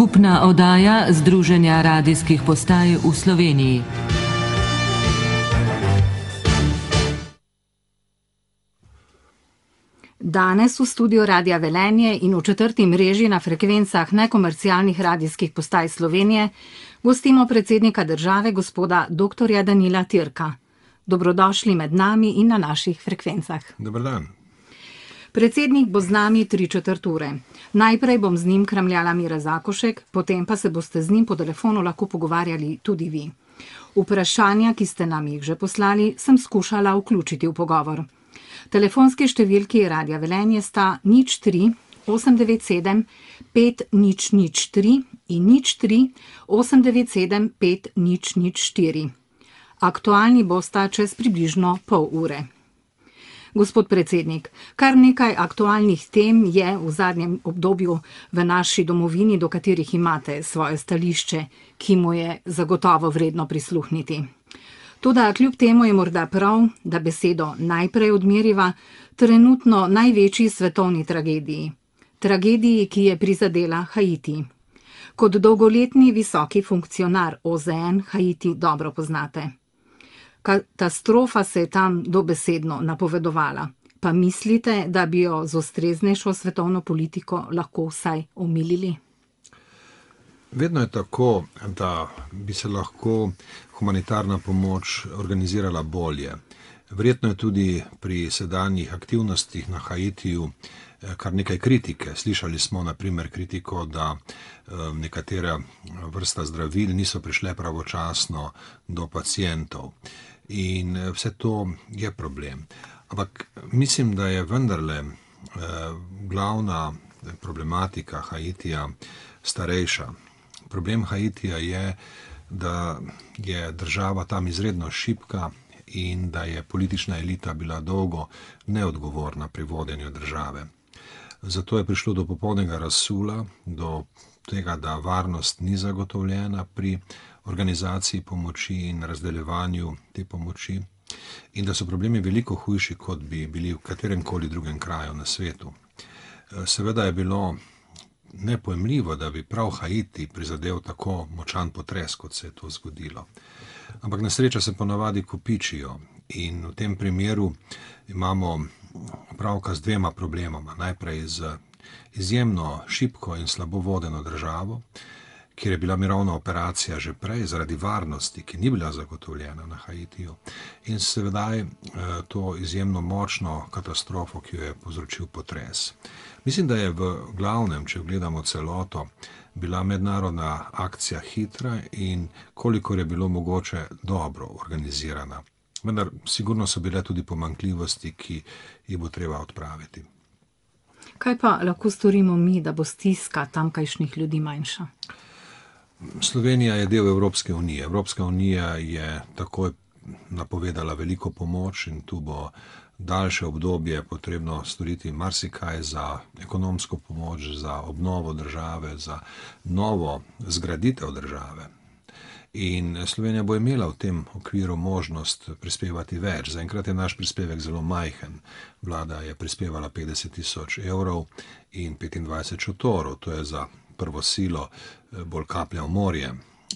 Skupna oddaja Združenja radijskih postaj v Sloveniji. Danes v studiu Radia Velenje in v četrti mreži na frekvencah nekomercialnih radijskih postaj Slovenije gostimo predsednika države, gospoda dr. Danila Türka. Dobrodošli med nami in na naših frekvencah. Dober dan. Predsednik bo z nami 3/4 ure. Najprej bom z njim kramljala Mira Zakošek, potem pa se boste z njim po telefonu lahko pogovarjali tudi vi. Vprašanja, ki ste nam jih že poslali, sem skušala vključiti v pogovor. Telefonski številki Radia Velenje sta 03 897 5003 in 03 897 5004. Aktualni bosta čez približno pol ure. Gospod predsednik, kar nekaj aktualnih tem je v zadnjem obdobju v naši domovini, do katerih imate svoje stališče, ki mu je zagotovo vredno prisluhniti. Toda kljub temu je morda prav, da besedo najprej odmeriva trenutno največji svetovni tragediji. Tragediji, ki je prizadela Haiti. Kot dolgoletni visoki funkcionar OZN Haiti dobro poznate. Katastrofa se je tam dobesedno napovedovala. Pa mislite, da bi jo z ustreznejšo svetovno politiko lahko vsaj omilili? Vedno je tako, da bi se lahko humanitarna pomoč organizirala bolje. Verjetno je tudi pri sedanjih aktivnostih na Haitiju kar nekaj kritike. Slišali smo na primer kritiko, da nekatera vrsta zdravil niso prišle pravočasno do pacientov. In vse to je problem. Ampak mislim, da je vendarle glavna problematika Haitija starejša. Problem Haitija je, da je država tam izredno šibka in da je politična elita bila dolgo neodgovorna pri vodenju države. Zato je prišlo do popolnega razsula, do tega, da varnost ni zagotovljena pri organizaciji pomoči in razdeljevanju te pomoči in da so problemi veliko hujši, kot bi bili v kateremkoli drugem kraju na svetu. Seveda je bilo nepojemljivo, da bi prav Haiti prizadel tako močan potres, kot se je to zgodilo. Ampak nesreča se ponavadi kopičijo in v tem primeru imamo opravka z dvema problemama. Najprej z izjemno šibko in slabo vodeno državo, kjer je bila mirovna operacija že prej zaradi varnosti, ki ni bila zagotovljena na Haitiju, in seveda to izjemno močno katastrofo, ki jo je povzročil potres. Mislim, da je v glavnem, če gledamo celoto, bila mednarodna akcija hitra in kolikor je bilo mogoče dobro organizirana. Vendar sigurno so bile tudi pomanjkljivosti, ki jih bo treba odpraviti. Kaj pa lahko storimo mi, da bo stiska tamkajšnjih ljudi manjša? Slovenija je del Evropske unije. Evropska unija je takoj napovedala veliko pomoč in tu bo daljše obdobje potrebno storiti marsikaj za ekonomsko pomoč, za obnovo države, za novo zgraditev države. In Slovenija bo imela v tem okviru možnost prispevati več. Zaenkrat je naš prispevek zelo majhen. Vlada je prispevala 50 000 evrov in 25 šotorov. To je za prvo silo bolj kaplja v morje.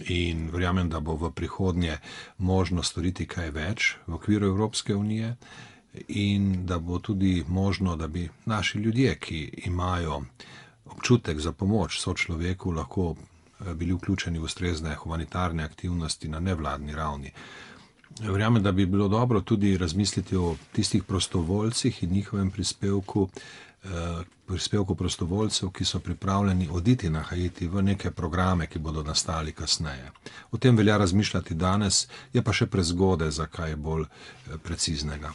In verjamem, da bo v prihodnje možno storiti kaj več v okviru Evropske unije in da bo tudi možno, da bi naši ljudje, ki imajo občutek za pomoč sočloveku, lahko bili vključeni v ustrezne humanitarne aktivnosti na nevladni ravni. Verjamem, da bi bilo dobro tudi razmisliti o tistih prostovoljcih in njihovem prispevku prostovoljcev, ki so pripravljeni oditi na Haiti v neke programe, ki bodo nastali kasneje. O tem velja razmišljati danes, je pa še prezgodaj za kaj bolj preciznega.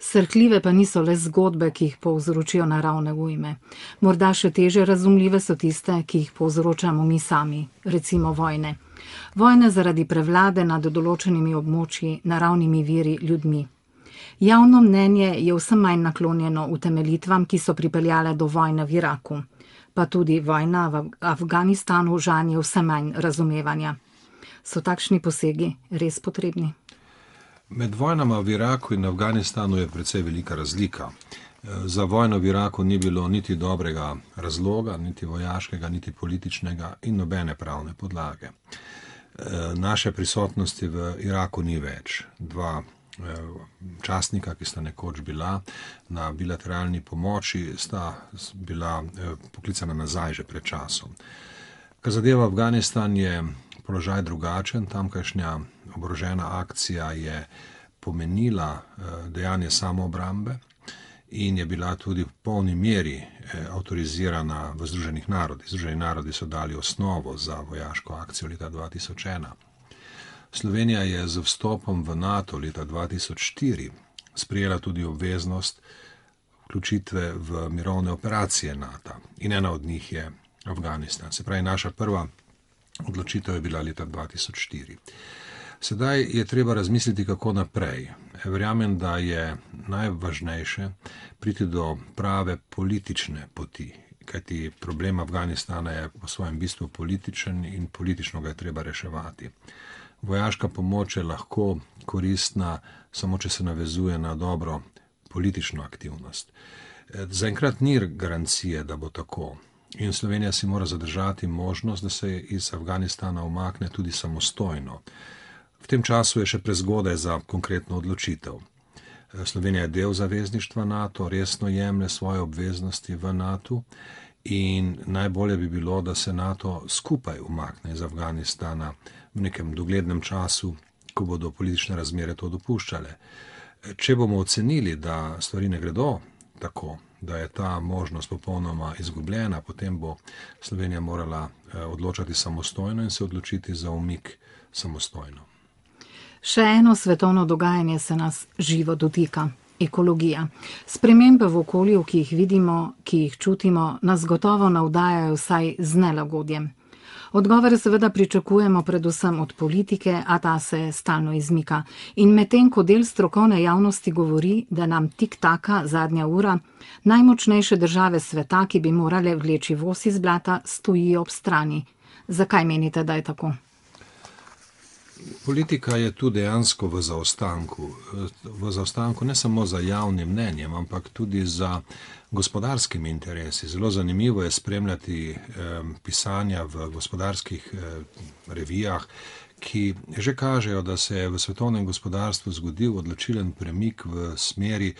Srhljive pa niso le zgodbe, ki jih povzročijo naravne ujme. Morda še teže razumljive so tiste, ki jih povzročamo mi sami, recimo vojne. Vojne zaradi prevlade nad določenimi območji, naravnimi viri, ljudmi. Javno mnenje je vse manj naklonjeno utemeljitvam, ki so pripeljale do vojne v Iraku. Pa tudi vojna v Afganistanu žanje vse manj razumevanja. So takšni posegi res potrebni? Med vojnama v Iraku in Afganistanu je precej velika razlika. Za vojno v Iraku ni bilo niti dobrega razloga, niti vojaškega, niti političnega in nobene pravne podlage. Naše prisotnosti v Iraku ni več. Dva častnika, ki sta nekoč bila na bilateralni pomoči, sta bila poklicana nazaj že pred časom. Kar zadeva Afganistan, je položaj drugačen. Tamkajšnja oborožena akcija je pomenila dejanje samoobrambe in je bila tudi v polni meri avtorizirana v Združenih narodih. Združeni narodi so dali osnovo za vojaško akcijo leta 2001. Slovenija je z vstopom v NATO leta 2004 sprejela tudi obveznost vključitve v mirovne operacije NATO in ena od njih je Afganistan. Se pravi, naša prva odločitev je bila leta 2004. Sedaj je treba razmisliti, kako naprej. Verjamem, da je najvažnejše priti do prave politične poti, kajti problem Afganistana je po svojem bistvu političen in politično ga je treba reševati. Vojaška pomoč je lahko koristna, samo če se navezuje na dobro politično aktivnost. Zaenkrat ni garancije, da bo tako. In Slovenija si mora zadržati možnost, da se iz Afganistana umakne tudi samostojno. V tem času je še prezgodaj za konkretno odločitev. Slovenija je del zavezništva NATO, resno jemlje svoje obveznosti v NATO in najbolje bi bilo, da se NATO skupaj umakne iz Afganistana v nekem doglednem času, ko bodo politične razmere to dopuščale. Če bomo ocenili, da stvari ne gredo tako, da je ta možnost popolnoma izgubljena, potem bo Slovenija morala odločati samostojno in se odločiti za umik samostojno. Še eno svetovno dogajanje se nas živo dotika. Ekologija. Spremembe v okolju, ki jih vidimo, ki jih čutimo, nas gotovo navdajajo vsaj z nelagodjem. Odgovore seveda pričakujemo predvsem od politike, a ta se stalno izmika. In medtem, ko del strokovne javnosti govori, da nam tik-taka zadnja ura, najmočnejše države sveta, ki bi morale vleči voz iz blata, stojijo ob strani. Zakaj menite, da je tako? Politika je tu dejansko v zaostanku. V zaostanku ne samo za javnim mnenjem, ampak tudi za gospodarskimi interesi. Zelo zanimivo je spremljati pisanja v gospodarskih revijah, ki že kažejo, da se je v svetovnem gospodarstvu zgodil odločilen premik v smeri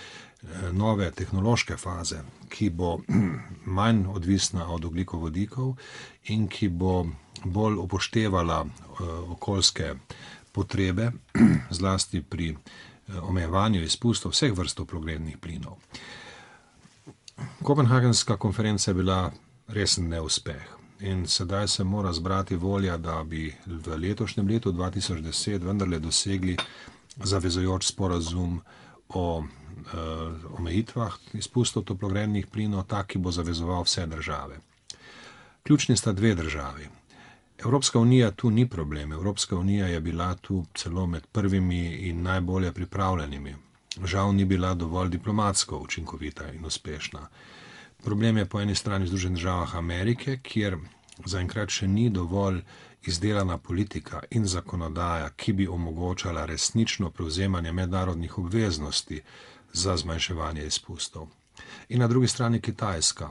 nove tehnološke faze, ki bo manj odvisna od ogljikovodikov in ki bo bolj upoštevala okoljske potrebe, zlasti pri omejevanju izpustov vseh vrst toplogrednih plinov. Kopenhagenska konferenca je bila resen neuspeh in sedaj se mora zbrati volja, da bi v letošnjem letu 2010 vendarle dosegli zavezujoč sporazum o omejitvah izpustov toplogrednih plinov, tak, ki bo zavezoval vse države. Ključni sta dve državi. Evropska unija tu ni problem. Evropska unija je bila tu celo med prvimi in najbolje pripravljenimi. Žal ni bila dovolj diplomatsko učinkovita in uspešna. Problem je po eni strani v Združenih državah Amerike, kjer zaenkrat še ni dovolj izdelana politika in zakonodaja, ki bi omogočala resnično prevzemanje mednarodnih obveznosti za zmanjševanje izpustov. In na drugi strani Kitajska,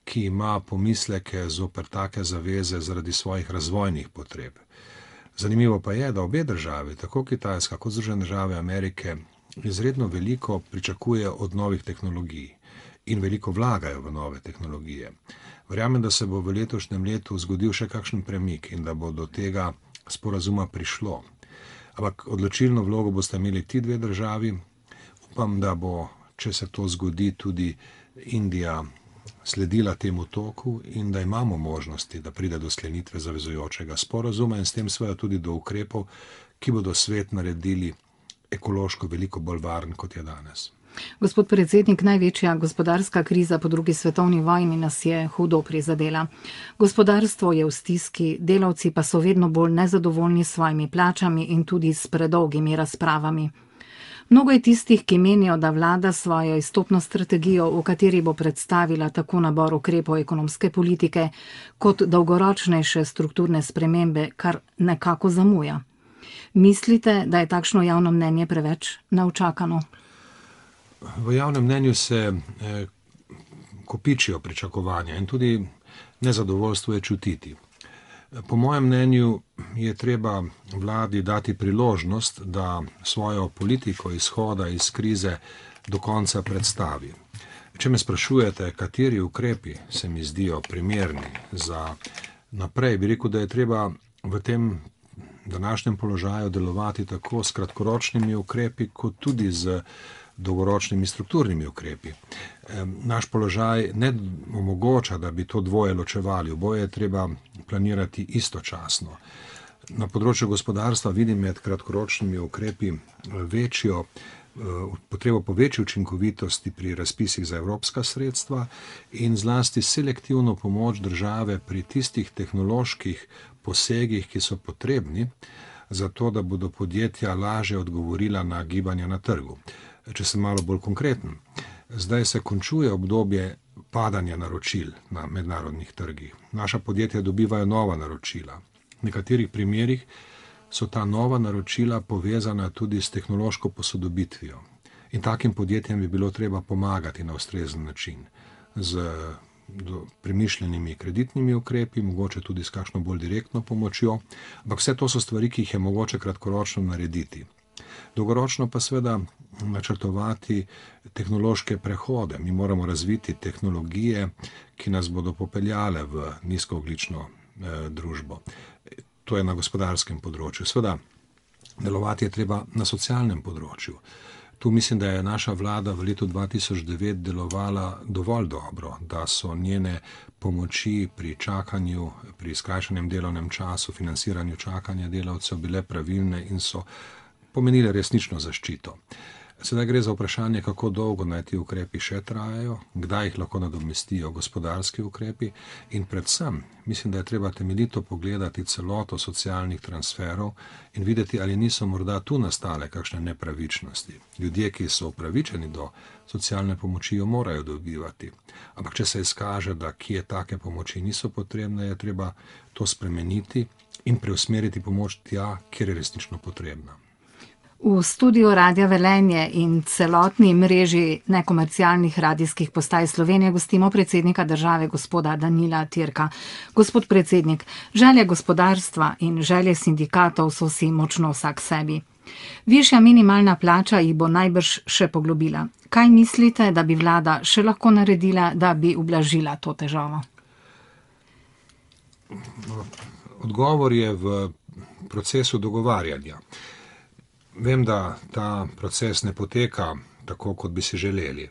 ki ima pomisleke zoper take zaveze zaradi svojih razvojnih potreb. Zanimivo pa je, da obe državi, tako Kitajska kot Združene države Amerike, izredno veliko pričakuje od novih tehnologij in veliko vlagajo v nove tehnologije. Verjamem, da se bo v letošnjem letu zgodil še kakšen premik in da bo do tega sporazuma prišlo. Ampak odločilno vlogo boste imeli ti dve državi. Upam, da bo, če se to zgodi, tudi Indija sledila temu toku in da imamo možnosti, da pride do sklenitve zavezujočega sporazuma in s tem seveda tudi do ukrepov, ki bodo svet naredili ekološko veliko bolj varen, kot je danes. Gospod predsednik, največja gospodarska kriza po drugi svetovni vojni nas je hudo prizadela. Gospodarstvo je v stiski, delavci pa so vedno bolj nezadovoljni s svojimi plačami in tudi s predolgimi razpravami. Mnogo je tistih, ki menijo, da vlada svojo izstopno strategijo, v kateri bo predstavila tako nabor ukrepov ekonomske politike, kot dolgoročnejše strukturne spremembe, kar nekako zamuja. Mislite, da je takšno javno mnenje preveč neučakano? V javnem mnenju se kopičijo pričakovanja in tudi nezadovoljstvo je čutiti. Po mojem mnenju je treba vladi dati priložnost, da svojo politiko izhoda iz krize do konca predstavi. Če me sprašujete, kateri ukrepi se mi zdijo primerni za naprej, bi rekel, da je treba v tem današnjem položaju delovati tako s kratkoročnimi ukrepi, kot tudi z dolgoročnimi strukturnimi ukrepi. Naš položaj ne omogoča, da bi to dvoje ločevali, oboje je treba planirati istočasno. Na področju gospodarstva vidim med kratkoročnimi ukrepi potrebo po večji učinkovitosti pri razpisih za evropska sredstva in zlasti selektivno pomoč države pri tistih tehnoloških posegih, ki so potrebni, zato da bodo podjetja lažje odgovorila na gibanja na trgu. Če sem malo bolj konkreten, zdaj se končuje obdobje padanja naročil na mednarodnih trgih. Naša podjetja dobivajo nova naročila. V nekaterih primerih so ta nova naročila povezana tudi s tehnološko posodobitvijo. In takim podjetjem bi bilo treba pomagati na ustrezen način, z premišljenimi kreditnimi ukrepi, mogoče tudi s kakšno bolj direktno pomočjo, ampak vse to so stvari, ki jih je mogoče kratkoročno narediti. Dolgoročno pa seveda načrtovati tehnološke prehode. Mi moramo razviti tehnologije, ki nas bodo popeljale v nizkoogljično družbo. To je na gospodarskem področju. Seveda, delovati je treba na socialnem področju. Tu mislim, da je naša vlada v letu 2009 delovala dovolj dobro, da so njene pomoči pri čakanju, pri skrajšanem delovnem času, financiranju čakanja delavcev bile pravilne in so pomenile resnično zaščito. Sedaj gre za vprašanje, kako dolgo naj ti ukrepi še trajajo, kdaj jih lahko nadomestijo gospodarski ukrepi in predvsem mislim, da je treba temeljito pogledati celoto socialnih transferov in videti, ali niso morda tu nastale kakšne nepravičnosti. Ljudje, ki so upravičeni do socialne pomoči, jo morajo dobivati. Ampak če se izkaže, da kje take pomoči niso potrebne, je treba to spremeniti in preusmeriti pomoč tja, kjer je resnično potrebna. V studiu Radia Velenje in celotni mreži nekomercialnih radijskih postaj Slovenije gostimo predsednika države gospoda Danila Türka. Gospod predsednik, želje gospodarstva in želje sindikatov so si močno vsak sebi. Višja minimalna plača jih bo najbrž še poglobila. Kaj mislite, da bi vlada še lahko naredila, da bi ublažila to težavo? Odgovor je v procesu dogovarjanja. Vem, da ta proces ne poteka tako, kot bi si želeli.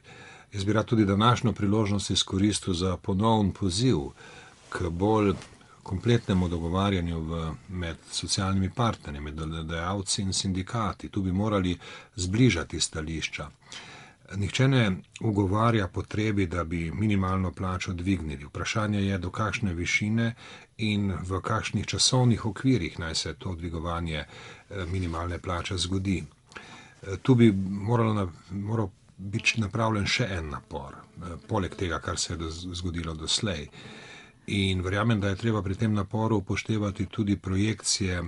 Jaz bi rad tudi današnjo priložnost izkoristil za ponoven poziv k bolj kompletnemu dogovarjanju med socialnimi partnerji, med delodajalci in sindikati. Tu bi morali zbližati stališča. Nihče ne ugovarja potrebi, da bi minimalno plačo dvignili. Vprašanje je, do kakšne višine in v kakšnih časovnih okvirih naj se to dvigovanje minimalne plače zgodi. Tu bi moral biti napravljen še en napor, poleg tega, kar se je zgodilo doslej. In verjamem, da je treba pri tem naporu upoštevati tudi projekcije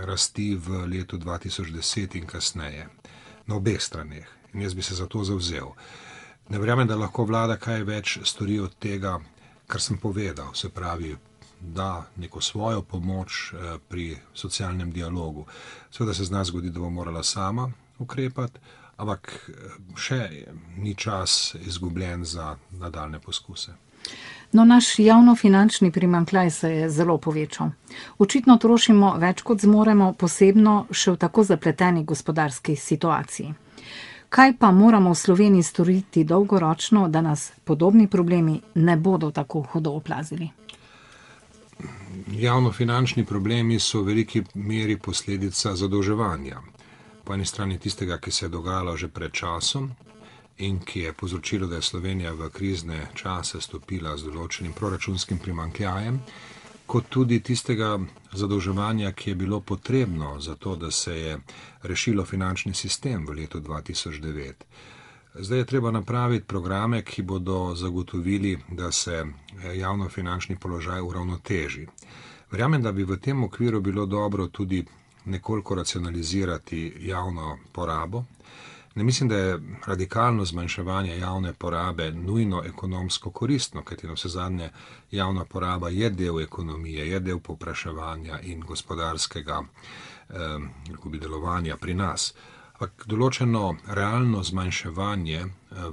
rasti v letu 2010 in kasneje, na obeh straneh. In jaz bi se za to zavzel. Ne verjamem, da lahko vlada kaj več stori od tega, kar sem povedal, se pravi, da neko svojo pomoč pri socialnem dialogu. Seveda se zna zgoditi, da bo morala sama ukrepati, ampak še ni čas izgubljen za nadaljne poskuse. No, naš javnofinančni primanjkljaj se je zelo povečal. Očitno trošimo več, kot zmoremo, posebno še v tako zapleteni gospodarski situaciji. Kaj pa moramo v Sloveniji storiti dolgoročno, da nas podobni problemi ne bodo tako hudo oplazili? Javnofinančni problemi so v veliki meri posledica zadolževanja. Po eni strani tistega, ki se je dogajalo že pred časom in ki je povzročilo, da je Slovenija v krizne čase stopila z določenim proračunskim primanjkljajem, kot tudi tistega zadolževanja, ki je bilo potrebno za to, da se je rešilo finančni sistem v letu 2009. Zdaj je treba napraviti programe, ki bodo zagotovili, da se javnofinančni položaj uravnoteži. Verjamem, da bi v tem okviru bilo dobro tudi nekoliko racionalizirati javno porabo, Ne mislim, da je radikalno zmanjševanje javne porabe nujno ekonomsko koristno, kajti na vse zadnje javna poraba je del ekonomije, je del povpraševanja in gospodarskega delovanja pri nas. Ampak določeno realno zmanjševanje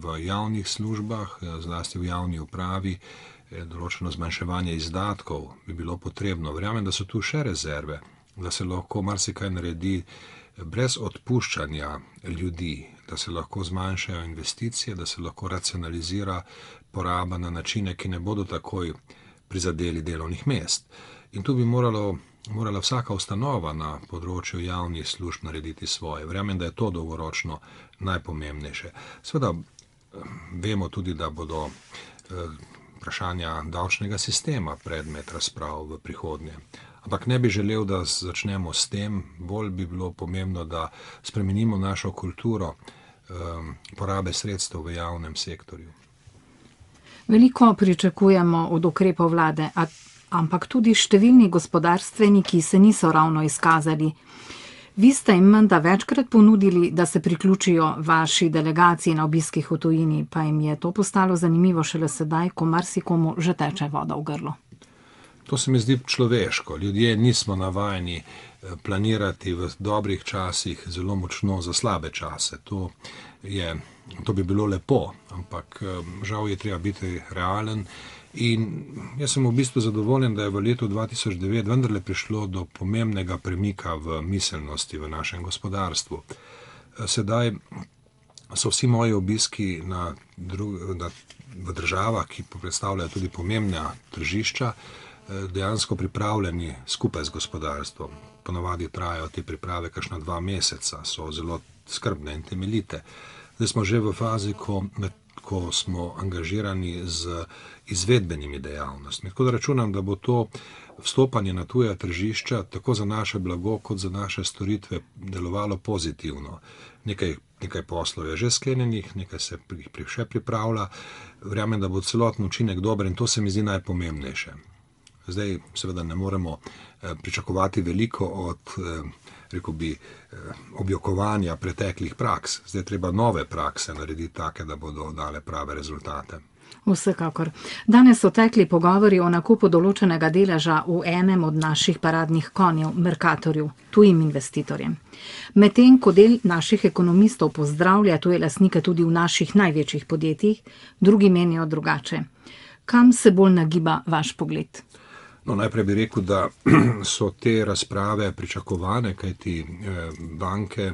v javnih službah, zlasti v javni upravi, določeno zmanjševanje izdatkov bi bilo potrebno. Verjamem, da so tu še rezerve, da se lahko marsikaj naredi brez odpuščanja ljudi, da se lahko zmanjšajo investicije, da se lahko racionalizira poraba na načine, ki ne bodo takoj prizadeli delovnih mest. In tu bi morala vsaka ustanova na področju javnih služb narediti svoje. Verjamem, da je to dolgoročno najpomembnejše. Seveda vemo tudi, da bodo vprašanja davčnega sistema predmet razprav v prihodnje. Ampak ne bi želel, da začnemo s tem, bolj bi bilo pomembno, da spremenimo našo kulturo porabe sredstev v javnem sektorju. Veliko pričakujemo od ukrepov vlade, ampak tudi številni gospodarstveniki se niso ravno izkazali. Vi ste jim menda večkrat ponudili, da se priključijo vaši delegaciji na obiskih v tujini, pa jim je to postalo zanimivo šele sedaj, ko marsikomu že teče voda v grlo. To se mi zdi človeško. Ljudje nismo navajeni planirati v dobrih časih zelo močno za slabe čase. To bi bilo lepo, ampak žal je treba biti realen. In jaz sem v bistvu zadovoljen, da je v letu 2009 vendarle prišlo do pomembnega premika v miselnosti v našem gospodarstvu. Sedaj so vsi moji obiski v državah, ki predstavljajo tudi pomembna tržišča, dejansko pripravljeni skupaj z gospodarstvom. Ponavadi trajajo te priprave kakšna 2 meseca, so zelo skrbne in temeljite. Zdaj smo že v fazi, ko smo angažirani z izvedbenimi dejavnostmi. Tako da računam, da bo to vstopanje na tuja tržišča tako za naše blago kot za naše storitve delovalo pozitivno. Nekaj poslov je že sklenjenih, nekaj se še pripravlja. Verjamem, da bo celoten učinek dober in to se mi zdi najpomembnejše. Zdaj seveda ne moremo pričakovati veliko od objokovanja preteklih praks. Zdaj treba nove prakse narediti take, da bodo dale prave rezultate. Vsekakor. Danes so tekli pogovori o nakupu določenega deleža v enem od naših paradnih konjev, Mercatorju, tujim investitorjem. Medtem ko del naših ekonomistov pozdravlja tuje lastnike tudi v naših največjih podjetjih, drugi menijo drugače. Kam se bolj nagiba vaš pogled? Najprej bi rekel, da so te razprave pričakovane, kajti banke,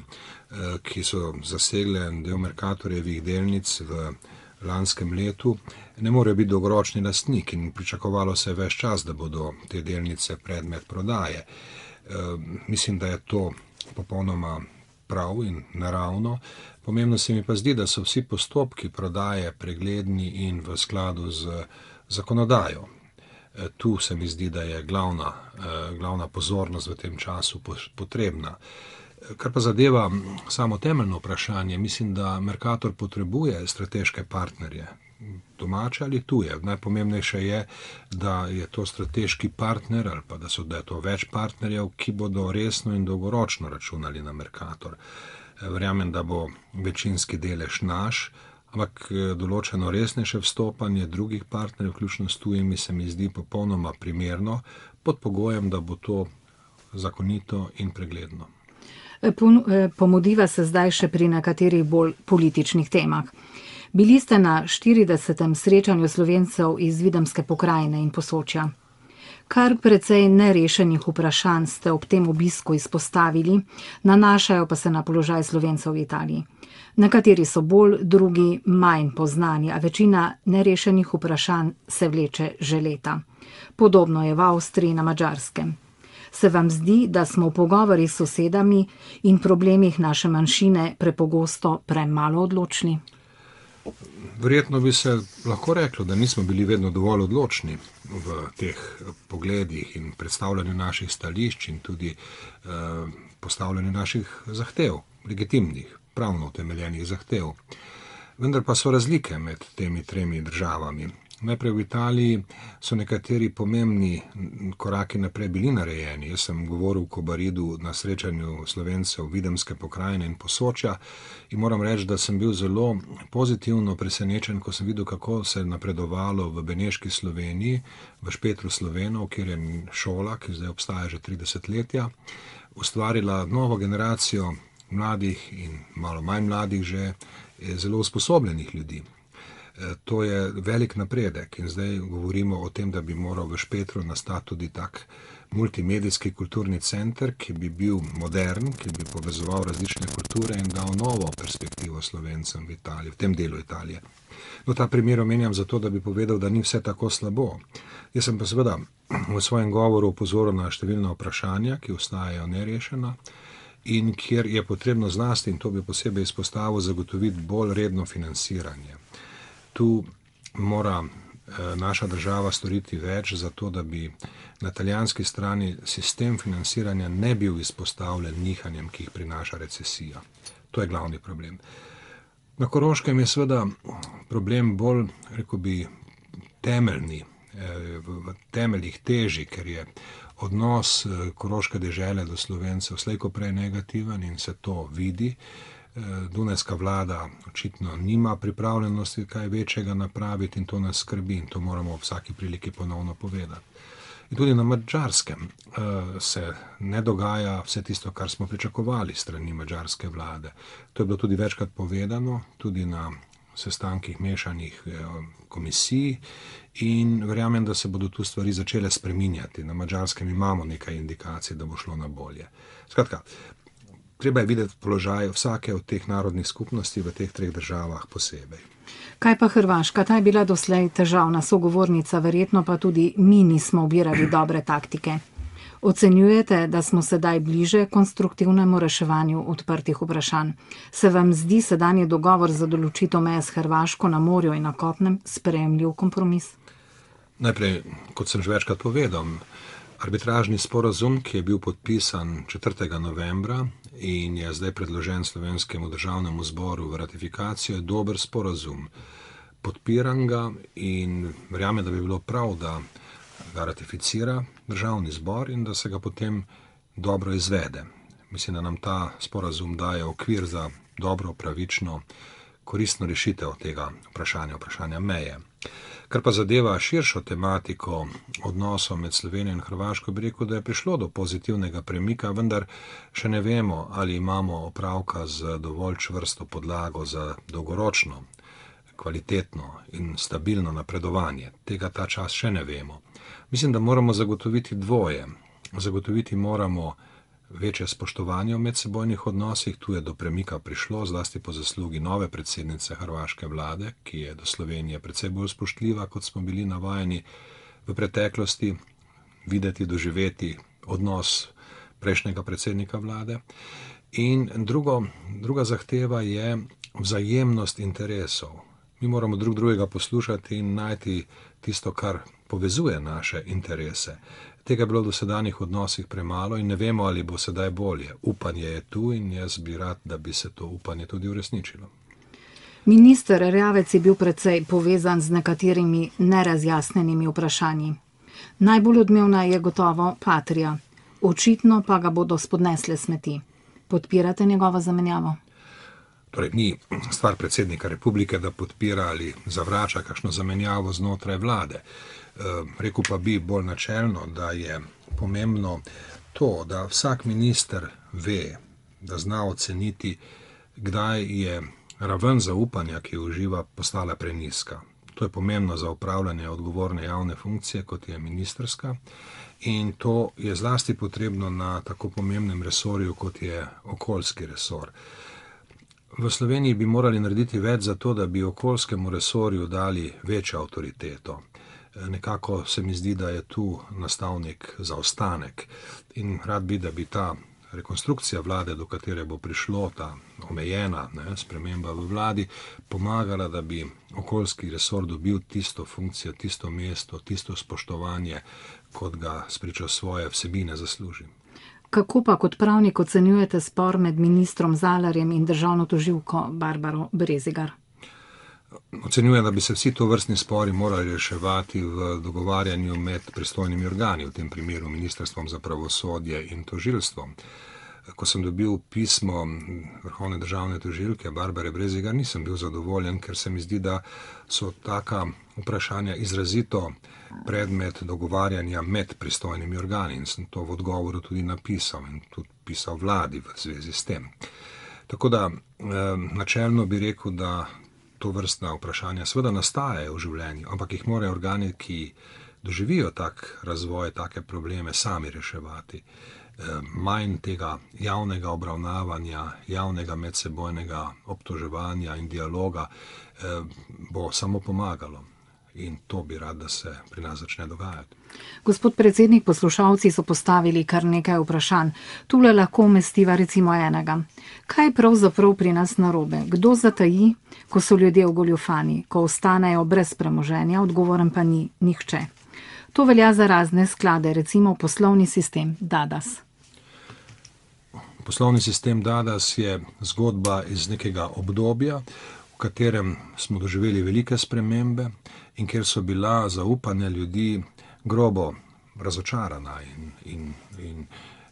ki so zasegle del Mercatorjevih delnic v lanskem letu, ne morejo biti dolgoročni lastnik in pričakovalo se ves čas, da bodo te delnice predmet prodaje. Mislim, da je to popolnoma prav in naravno. Pomembno se mi pa zdi, da so vsi postopki prodaje pregledni in v skladu z zakonodajo. Tu se mi zdi, da je glavna pozornost v tem času potrebna. Kar pa zadeva samo temeljno vprašanje, mislim, da Mercator potrebuje strateške partnerje, domače ali tuje. Najpomembnejše je, da je to strateški partner ali pa da je to več partnerjev, ki bodo resno in dolgoročno računali na Mercator. Verjamem, da bo večinski delež naš, ampak določeno resnejše vstopanje drugih partnerjev, vključno s tujimi, se mi zdi popolnoma primerno, pod pogojem, da bo to zakonito in pregledno. Pomudiva se zdaj še pri nekaterih bolj političnih temah. Bili ste na 40. srečanju Slovencev iz Videmske pokrajine in Posočja. Kar precej nerešenih vprašanj ste ob tem obisku izpostavili, nanašajo pa se na položaj Slovencev v Italiji. Nekateri so bolj, drugi manj poznani, a večina nerešenih vprašanj se vleče že leta. Podobno je v Avstriji, na Madžarskem. Se vam zdi, da smo v pogovorih s sosedami in problemih naše manjšine prepogosto premalo odločni? Verjetno bi se lahko reklo, da nismo bili vedno dovolj odločni v teh pogledih in predstavljanju naših stališč in tudi postavljanju naših zahtev, legitimnih, pravno utemeljenih zahtev. Vendar pa so razlike med temi 3 državami. Najprej v Italiji so nekateri pomembni koraki naprej bili narejeni. Jaz sem govoril v Kobaridu na srečanju Slovencev Videmske pokrajine in Posočja in moram reči, da sem bil zelo pozitivno presenečen, ko sem videl, kako se je napredovalo v beneški Sloveniji, v Špetru Slovenov, kjer je šola, ki zdaj obstaja že 30 letja, ustvarila novo generacijo mladih in malo manj mladih že zelo usposobljenih ljudi. To je velik napredek in zdaj govorimo o tem, da bi moral v Špetru nastati tudi tak multimedijski kulturni center, ki bi bil modern, ki bi povezoval različne kulture in dal novo perspektivo Slovencem v Italiji, v tem delu Italije. No, ta primer omenjam zato, da bi povedal, da ni vse tako slabo. Jaz sem pa seveda v svojem govoru opozoril na številna vprašanja, ki ostajajo nerešena in kjer je potrebno zlasti, in to bi posebej izpostavil, zagotoviti bolj redno financiranje. Tu mora naša država storiti več za to, da bi na italijanski strani sistem financiranja ne bil izpostavljen nihanjem, ki jih prinaša recesija. To je glavni problem. Na Koroškem je seveda problem bolj, rekel bi, temeljni, v temeljih težji, ker je odnos koroške dežele do Slovencev slej ko prej negativen in se to vidi. Dunajska vlada očitno nima pripravljenosti kaj večjega napraviti in to nas skrbi in to moramo v vsaki priliki ponovno povedati. In tudi na Madžarskem se ne dogaja vse tisto, kar smo pričakovali strani madžarske vlade. To je bilo tudi večkrat povedano, tudi na sestankih mešanih komisij in verjamem, da se bodo tu stvari začele spreminjati. Na Madžarskem imamo nekaj indikacij, da bo šlo na bolje. Skratka, treba je videti položaj vsake od teh narodnih skupnosti v teh treh državah posebej. Kaj pa Hrvaška? Ta je bila doslej težavna sogovornica, verjetno pa tudi mi nismo ubirali dobre taktike. Ocenjujete, da smo sedaj bliže konstruktivnemu reševanju odprtih vprašanj? Se vam zdi sedanji dogovor za določitev meje s Hrvaško na morju in na kopnem sprejemljiv kompromis? Najprej, kot sem že večkrat povedal, arbitražni sporazum, ki je bil podpisan 4. novembra in je zdaj predložen Slovenskemu državnemu zboru v ratifikacijo, je dober sporazum. Podpiram ga in verjamem, da bi bilo prav, da ga ratificira državni zbor in da se ga potem dobro izvede. Mislim, da nam ta sporazum daje okvir za dobro, pravično, koristno rešitev tega vprašanja meje. Kar pa zadeva širšo tematiko odnosov med Slovenijo in Hrvaško, bi rekel, da je prišlo do pozitivnega premika, vendar še ne vemo, ali imamo opravka z dovolj čvrsto podlago za dolgoročno, kvalitetno in stabilno napredovanje. Tega ta čas še ne vemo. Mislim, da moramo zagotoviti dvoje. Zagotoviti moramo večje spoštovanje v medsebojnih odnosih. Tu je do premika prišlo, zlasti po zaslugi nove predsednice hrvaške vlade, ki je do Slovenije precej bolj spoštljiva, kot smo bili navajeni v preteklosti, videti, doživeti odnos prejšnjega predsednika vlade. In druga zahteva je vzajemnost interesov. Mi moramo drug drugega poslušati in najti tisto, kar povezuje naše interese. Tega je bilo v dosedanjih odnosih premalo in ne vemo, ali bo sedaj bolje. Upanje je tu in jaz bi rad, da bi se to upanje tudi uresničilo. Minister Erjavec je bil precej povezan z nekaterimi nerazjasnenimi vprašanji. Najbolj odmevna je gotovo Patria. Očitno pa ga bodo spodnesle smeti. Podpirate njegovo zamenjavo? Torej, ni stvar predsednika republike, da podpira ali zavrača kakšno zamenjavo znotraj vlade. Rekel pa bi bolj načelno, da je pomembno to, da vsak minister ve, da zna oceniti, kdaj je raven zaupanja, ki jo uživa, postala prenizka. To je pomembno za upravljanje odgovorne javne funkcije, kot je ministrska, in to je zlasti potrebno na tako pomembnem resorju, kot je okoljski resor. V Sloveniji bi morali narediti več za to, da bi okoljskemu resorju dali večjo avtoriteto. Nekako se mi zdi, da je tu nastal nek zaostanek in rad bi, da bi ta rekonstrukcija vlade, do katere bo prišlo, ta omejena sprememba v vladi, pomagala, da bi okoljski resor dobil tisto funkcijo, tisto mesto, tisto spoštovanje, kot ga spričo svoje vsebine zasluži. Kako pa kot pravnik ocenjujete spor med ministrom Zalarjem in državno tožilko Barbaro Brezigar? Ocenjujem, da bi se vsi to vrstni spori morali reševati v dogovarjanju med pristojnimi organi, v tem primeru Ministrstvom za pravosodje in tožilstvom. Ko sem dobil pismo vrhovne državne tožilke Barbare Brezigar, nisem bil zadovoljen, ker se mi zdi, da so taka vprašanja izrazito predmet dogovarjanja med pristojnimi organi in sem to v odgovoru tudi napisal in tudi pisal vladi v zvezi s tem. Tako da načelno bi rekel, da to vrstna vprašanja seveda nastajajo v življenju, ampak jih morajo organi, ki doživijo tak razvoj, take probleme, sami reševati. Manj tega javnega obravnavanja, javnega medsebojnega obtoževanja in dialoga bo samo pomagalo. In to bi rad, da se pri nas začne dogajati. Gospod predsednik, poslušalci so postavili kar nekaj vprašanj. Tule lahko umestiva recimo enega. Kaj je pravzaprav pri nas narobe? Kdo zataji, ko so ljudje ogoljufani, ko ostanejo brez premoženja, odgovoren pa ni nihče? To velja za razne sklade, recimo poslovni sistem DADAS. Poslovni sistem DADAS je zgodba iz nekega obdobja, v katerem smo doživeli velike spremembe in kjer so bila zaupanja ljudi grobo razočarana in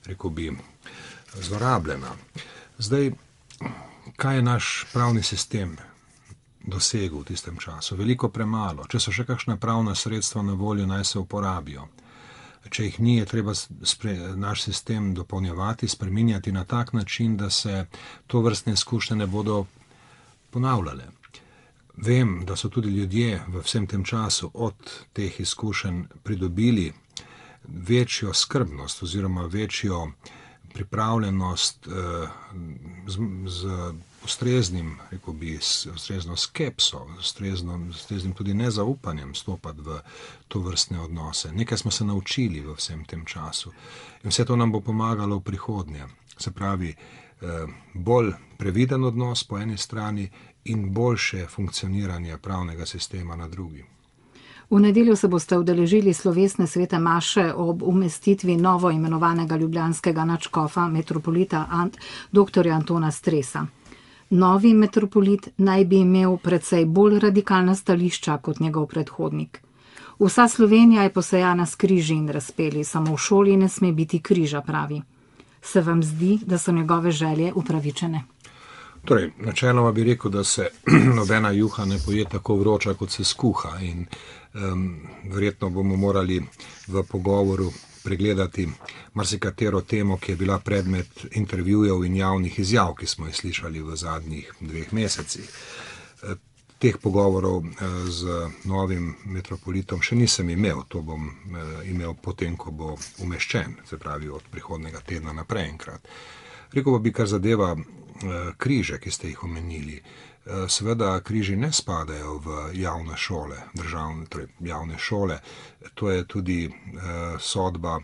rekel bi, zlorabljena. Zdaj, kaj je naš pravni sistem dosegel v tistem času? Veliko premalo. Če so še kakšna pravna sredstva na voljo, naj se uporabijo. Če jih ni, je treba naš sistem dopolnjevati, spreminjati na tak način, da se to vrstne izkušnje ne bodo ponavljale. Vem, da so tudi ljudje v vsem tem času od teh izkušenj pridobili večjo skrbnost oziroma večjo pripravljenost z ustreznim, rekel bi, ustrezno skepso, ustreznim tudi nezaupanjem stopati v to vrstne odnose. Nekaj smo se naučili v vsem tem času in vse to nam bo pomagalo v prihodnje. Se pravi, bolj previden odnos po eni strani in boljše funkcioniranje pravnega sistema na drugi. V nedeljo se boste udeležili slovesne svete maše ob umestitvi novo imenovanega ljubljanskega nadškofa metropolita dr. Antona Stresa. Novi metropolit naj bi imel precej bolj radikalna stališča kot njegov predhodnik. Vsa Slovenija je posejana s križi in razpeli, samo v šoli ne sme biti križa, pravi. Se vam zdi, da so njegove želje upravičene? Torej, načeloma bi rekel, da se nobena juha ne poje tako vroča, kot se skuha in verjetno bomo morali v pogovoru pregledati marsikatero temo, ki je bila predmet intervjujev in javnih izjav, ki smo jih slišali v zadnjih 2 mesecih. Teh pogovorov z novim metropolitom še nisem imel, to bom imel potem, ko bo umeščen, se pravi od prihodnega tedna naprej enkrat. Rekel bi, kar zadeva križe, ki ste jih omenili. Seveda križi ne spadajo v javne šole, torej javne šole. To je tudi sodba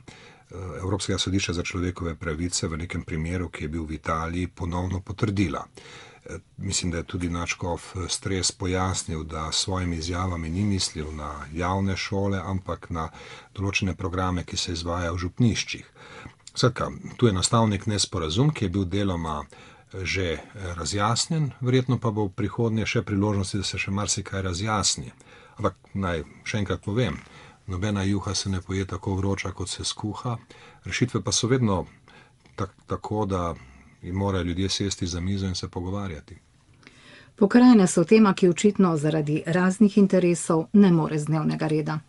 Evropskega sodišča za človekove pravice v nekem primeru, ki je bil v Italiji, ponovno potrdila. Mislim, da je tudi nadškof Stres pojasnil, da s svojimi izjavami ni mislil na javne šole, ampak na določene programe, ki se izvajajo v župniščih. Skratka, tu je nastal nek nesporazum, ki je bil deloma že razjasnjen, verjetno pa bo v prihodnje še priložnosti, da se še marsikaj razjasni. Ampak naj še enkrat povem, nobena juha se ne poje tako vroča, kot se skuha. Rešitve pa so vedno tako, da morajo ljudje sesti za mizo in se pogovarjati. Pokrajine so tema, ki očitno zaradi raznih interesov ne more z dnevnega reda.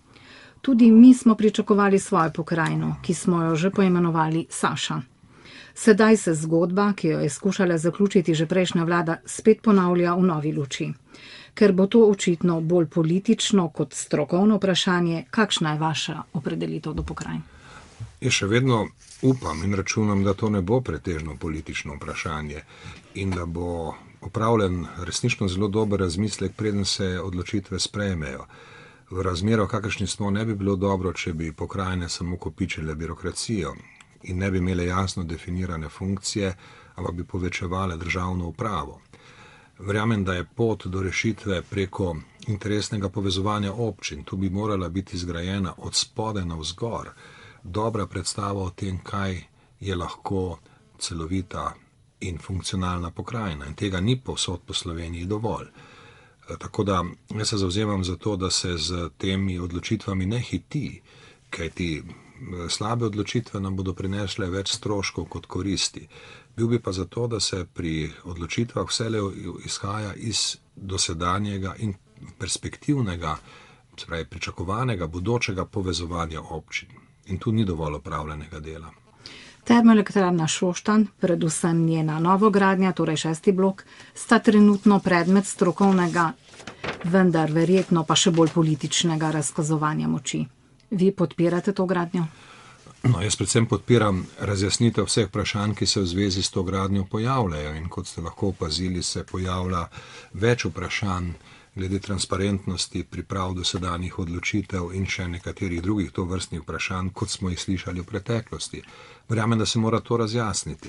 Tudi mi smo pričakovali svojo pokrajino, ki smo jo že poimenovali Saša. Sedaj se zgodba, ki jo je skušala zaključiti že prejšnja vlada, spet ponavlja v novi luči. Ker bo to očitno bolj politično kot strokovno vprašanje, kakšna je vaša opredelitev do pokrajin? Jaz še vedno upam in računam, da to ne bo pretežno politično vprašanje in da bo opravljen resnično zelo dober razmislek, preden se odločitve sprejmejo. V razmerah, kakršni smo, ne bi bilo dobro, če bi pokrajine samo kopičile birokracijo in ne bi imele jasno definirane funkcije, ampak bi povečevale državno upravo. Verjamem, da je pot do rešitve preko interesnega povezovanja občin. Tu bi morala biti zgrajena od spodaj navzgor dobra predstava o tem, kaj je lahko celovita in funkcionalna pokrajina. In tega ni povsod po Sloveniji dovolj. Tako da jaz se zavzemam za to, da se z temi odločitvami ne hiti, kajti slabe odločitve nam bodo prinesle več stroškov kot koristi. Bil bi pa za to, da se pri odločitvah vselej izhaja iz dosedanjega in perspektivnega, se pravi pričakovanega bodočega povezovanja občin. In tu ni dovolj opravljenega dela. Termoelektrarna Šoštanj, predvsem njena novogradnja, torej 6. blok, sta trenutno predmet strokovnega, vendar verjetno pa še bolj političnega razkazovanja moči. Vi podpirate to gradnjo? No, jaz predvsem podpiram razjasnitev vseh vprašanj, ki se v zvezi s to gradnjo pojavljajo. In kot ste lahko opazili, se pojavlja več vprašanj glede transparentnosti priprav dosedanjih odločitev in še nekaterih drugih tovrstnih vprašanj, kot smo jih slišali v preteklosti. Verjamem, da se mora to razjasniti.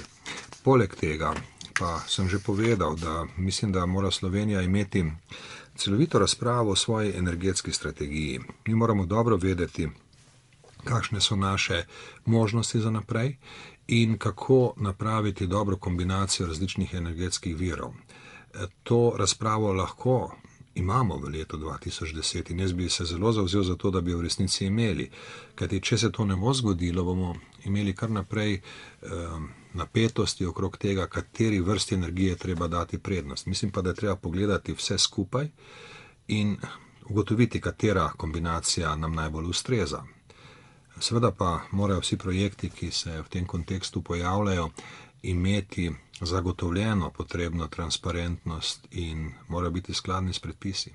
Poleg tega pa sem že povedal, da mislim, da mora Slovenija imeti celovito razpravo o svoji energetski strategiji. Mi moramo dobro vedeti, kakšne so naše možnosti za naprej in kako napraviti dobro kombinacijo različnih energetskih virov. To razpravo lahko imamo v letu 2010 in jaz bi se zelo zavzel za to, da bi v resnici imeli. Kajti, če se to ne bo zgodilo, bomo imeli kar naprej napetosti okrog tega, kateri vrsti energije treba dati prednost. Mislim pa, da je treba pogledati vse skupaj in ugotoviti, katera kombinacija nam najbolj ustreza. Seveda pa morajo vsi projekti, ki se v tem kontekstu pojavljajo, imeti zagotovljeno potrebno transparentnost in morajo biti skladni s predpisi.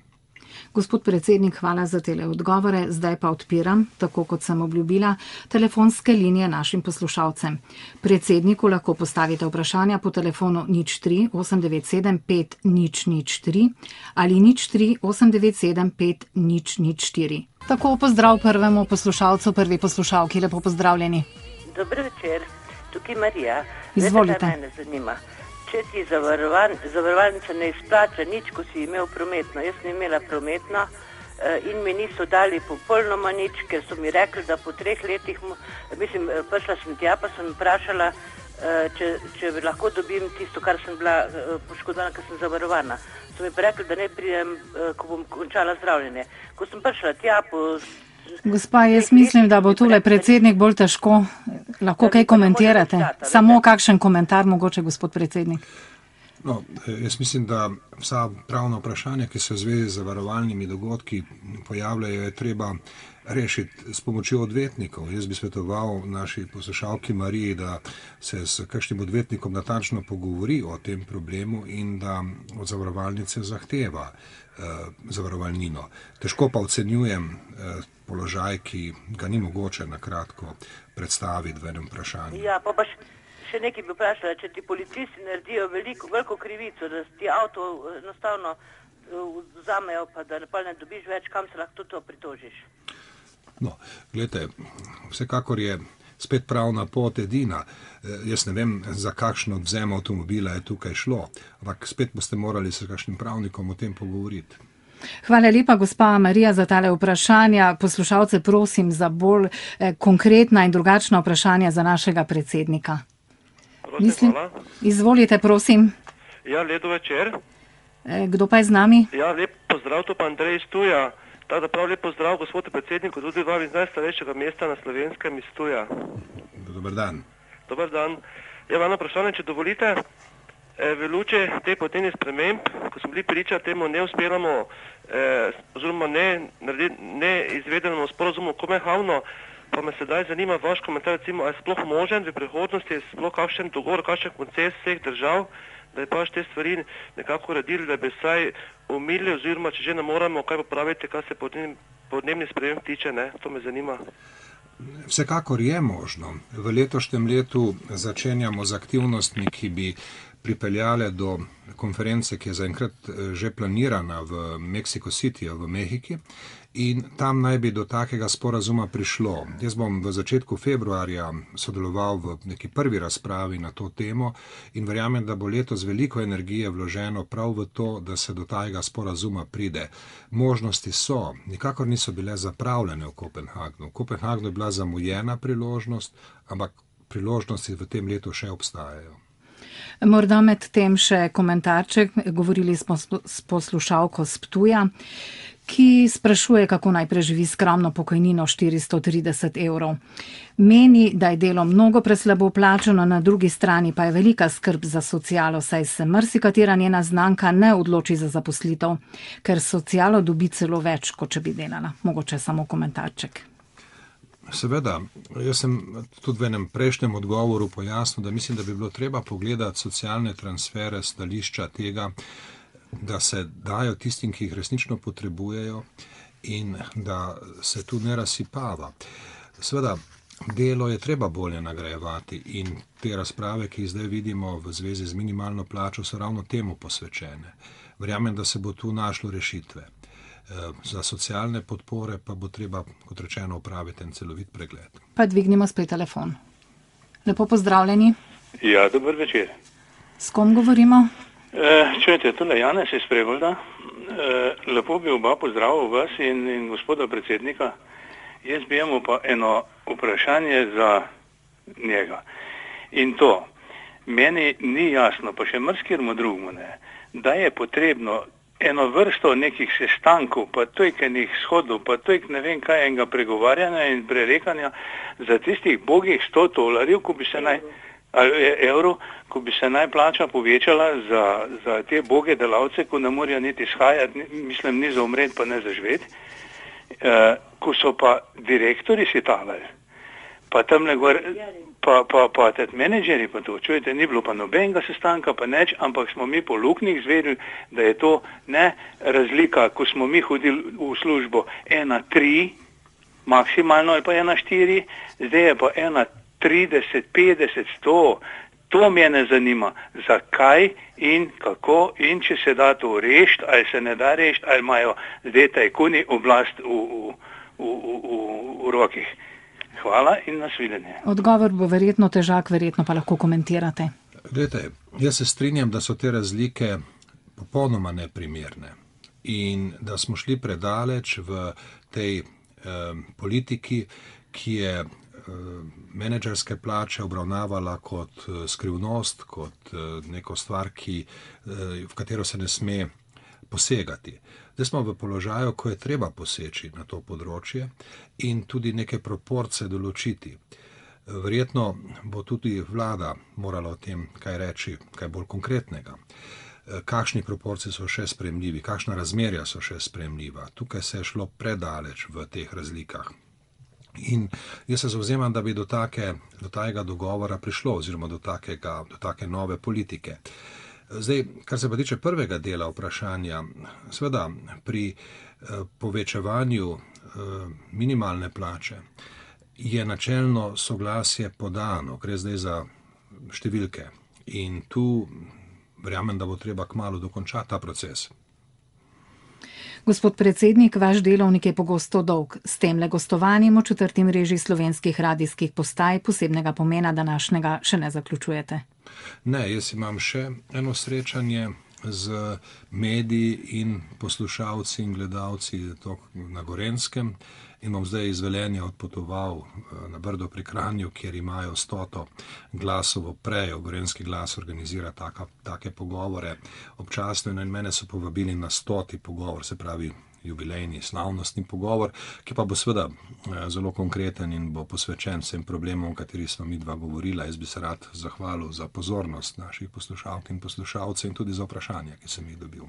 Gospod predsednik, hvala za tele odgovore. Zdaj pa odpiram, tako kot sem obljubila, telefonske linije našim poslušalcem. Predsedniku lahko postavite vprašanja po telefonu 03 897 5003 ali 03 897 5004. Tako pozdrav prvemu poslušalcu, prvi poslušalki. Lepo pozdravljeni. Dober večer, tukaj Marija. Izvolite. Mene zanima. Če ti zavarovalnica ne izplača nič, ko si imel prometno. Jaz sem imela prometno in mi niso dali popolnoma nič, ker so mi rekli, da po 3 letih, prišla sem tja, pa sem vprašala, če lahko dobim tisto, kar sem bila poškodovana, ker sem zavarovana. So mi pa rekli, da ne pridem, ko bom končala zdravljenje. Ko sem prišla tja po... Gospa, jaz mislim, da bo tule predsednik bolj težko. Lahko kaj komentirate? Samo kakšen komentar mogoče, gospod predsednik? No, jaz mislim, da vsa pravna vprašanja, ki se v zvezi z zavarovalnimi dogodki pojavljajo, je treba rešiti s pomočjo odvetnikov. Jaz bi svetoval naši poslušalki Mariji, da se s kakšnim odvetnikom natančno pogovori o tem problemu in da od zavarovalnice zahteva zavarovalnino. Težko pa ocenjujem položaj, ki ga ni mogoče na kratko predstaviti v enem vprašanju. Ja, pa še nekaj bi vprašala, če ti policisti naredijo veliko krivico, da ti avto enostavno vzamejo, pa da ne dobiš več, kam se lahko to pritožiš? No, gledajte, vsekakor je spet pravna pot edina. Jaz ne vem, za kakšno odvzem avtomobila je tukaj šlo, ampak spet boste morali s kakšnim pravnikom o tem pogovoriti. Hvala lepa, gospa Marija, za tale vprašanja. Poslušalce prosim za bolj konkretna in drugačna vprašanja za našega predsednika. Hvala. Izvolite, prosim. Ja, lepo večer. Kdo pa je z nami? Ja, lep pozdrav, to pa Andrej iz Ptuja. Tako da prav lep pozdrav gospodu predsedniku, tudi vam iz najstarejšega mesta na Slovenskem iz Ptuja. Dober dan. Dober dan. Ja, eno vprašanje, če dovolite. V luči te podnebnih sprememb, ko smo bili priča temu neuspelemu oziroma neizvedenemu sporazumu Kopenhavnu, pa me sedaj zanima vaš komentar, recimo, ali je sploh možen v prihodnosti, sploh kakšen dogovor, kakšen koncept vseh držav, da je pač te stvari nekako uredili, da bi vsaj umili oziroma, če že ne moramo, kaj popraviti, kar se podnebnih sprememb tiče, ne? To me zanima. Vsekakor je možno. V letošnjem letu začenjamo z aktivnostmi, ki bi pripeljale do konference, ki je zaenkrat že planirana v Mexico City, v Mehiki, in tam naj bi do takega sporazuma prišlo. Jaz bom v začetku februarja sodeloval v neki prvi razpravi na to temo in verjamem, da bo letos veliko energije vloženo prav v to, da se do takega sporazuma pride. Možnosti so, nikakor niso bile zapravljene v Kopenhagnu. V Kopenhagnu je bila zamujena priložnost, ampak priložnosti v tem letu še obstajajo. Morda med tem še komentarček. Govorili smo s poslušalko s Ptuja, ki sprašuje, kako naj preživi skromno pokojnino 430 evrov. Meni, da je delo mnogo preslabo plačano, na drugi strani pa je velika skrb za socialo, saj se marsikatera njena znanka ne odloči za zaposlitev, ker socialo dobi celo več, kot če bi delala. Mogoče samo komentarček. Seveda, jaz sem tudi v enem prejšnjem odgovoru pojasnil, da mislim, da bi bilo treba pogledati socialne transfere, stališča tega, da se dajo tistim, ki jih resnično potrebujejo in da se tu ne razsipava. Seveda, delo je treba bolje nagrajevati in te razprave, ki jih zdaj vidimo v zvezi z minimalno plačo, so ravno temu posvečene. Verjamem, da se bo tu našlo rešitve. Za socialne podpore pa bo treba, kot rečeno, opraviti en celovit pregled. Pa dvignimo spet telefon. Lepo pozdravljeni. Ja, dober večer. S kom govorimo? Čujete, tole Janez iz Prebolda. Lepo bi oba pozdravil vas in gospoda predsednika. Jaz bi imel pa eno vprašanje za njega. In to, meni ni jasno, pa še marsikemu drugemu ne, da je potrebno eno vrsto nekih sestankov, pa tojkenih shodov, pa tojk ne vem kaj enega pregovarjanja in prerekanja za tistih bogih $100, ko bi se evrov, ko bi se naj plača povečala za te boge delavce, ko ne morajo niti shajati, mislim, ni za umret, pa ne za živeti, ko so pa direktori si talali, pa tamle gor, pa tet menedžeri pa to, čujete, ni bilo pa nobenega sestanka, pa neč, ampak smo mi po luknjih zvedeli, da je to ne razlika, ko smo mi hodili v službo 1,3, maksimalno je pa 1,4, zdaj je pa 1,30, 50, 100, to mene zanima, zakaj in kako in če se da to rešiti, ali se ne da rešiti, ali imajo zdaj tajkuni oblast v rokih. Hvala in nasvidenje. Odgovor bo verjetno težak, verjetno pa lahko komentirate. Glejte, jaz se strinjam, da so te razlike popolnoma neprimerne in da smo šli predaleč v tej politiki, ki je menedžerske plače obravnavala kot skrivnost, kot neko stvar, v katero se ne sme posegati. Zdaj smo v položaju, ko je treba poseči na to področje in tudi neke proporce določiti. Verjetno bo tudi vlada morala o tem kaj reči, kaj bolj konkretnega. Kakšni proporci so še sprejemljivi, kakšna razmerja so še sprejemljiva. Tukaj se je šlo predaleč v teh razlikah. In jaz se zavzemam, da bi do takega dogovora prišlo, oziroma do take nove politike. Zdaj, kar se pa tiče prvega dela vprašanja, seveda pri povečevanju minimalne plače je načelno soglasje podano, gre zdaj za številke. In tu verjamem, da bo treba kmalu dokončati ta proces. Gospod predsednik, vaš delovnik je pogosto dolg. S temle gostovanjem v 4. mreži slovenskih radijskih postaj posebnega pomena današnjega še ne zaključujete. Ne, jaz imam še eno srečanje z mediji in poslušalci in gledalci na Gorenjskem in bom zdaj iz Velenja odpotoval na Brdo pri Kranju, kjer imajo 100 glasovo prejo. Gorenjski glas organizira take pogovore občasno in mene so povabili na 100. pogovor, se pravi jubilejni, slavnostni pogovor, ki pa bo seveda zelo konkreten in bo posvečen vsem problemom, o katerih smo mi dva govorila. Jaz bi se rad zahvalil za pozornost naših poslušalk in poslušalcev in tudi za vprašanja, ki sem jih dobil.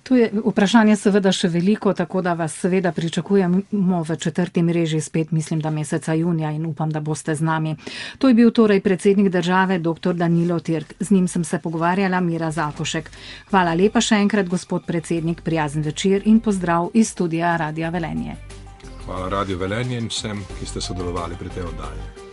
Tu je vprašanje seveda še veliko, tako da vas seveda pričakujemo v 4. mreži spet, mislim, da meseca junija in upam, da boste z nami. To je bil torej predsednik države, dr. Danilo Türk. Z njim sem se pogovarjala Mira Zakošek. Hvala lepa še enkrat, gospod predsednik, prijazen večer in pozdrav iz studia Radia Velenje. Hvala Radio Velenje in vsem, ki ste sodelovali pri tej oddaji.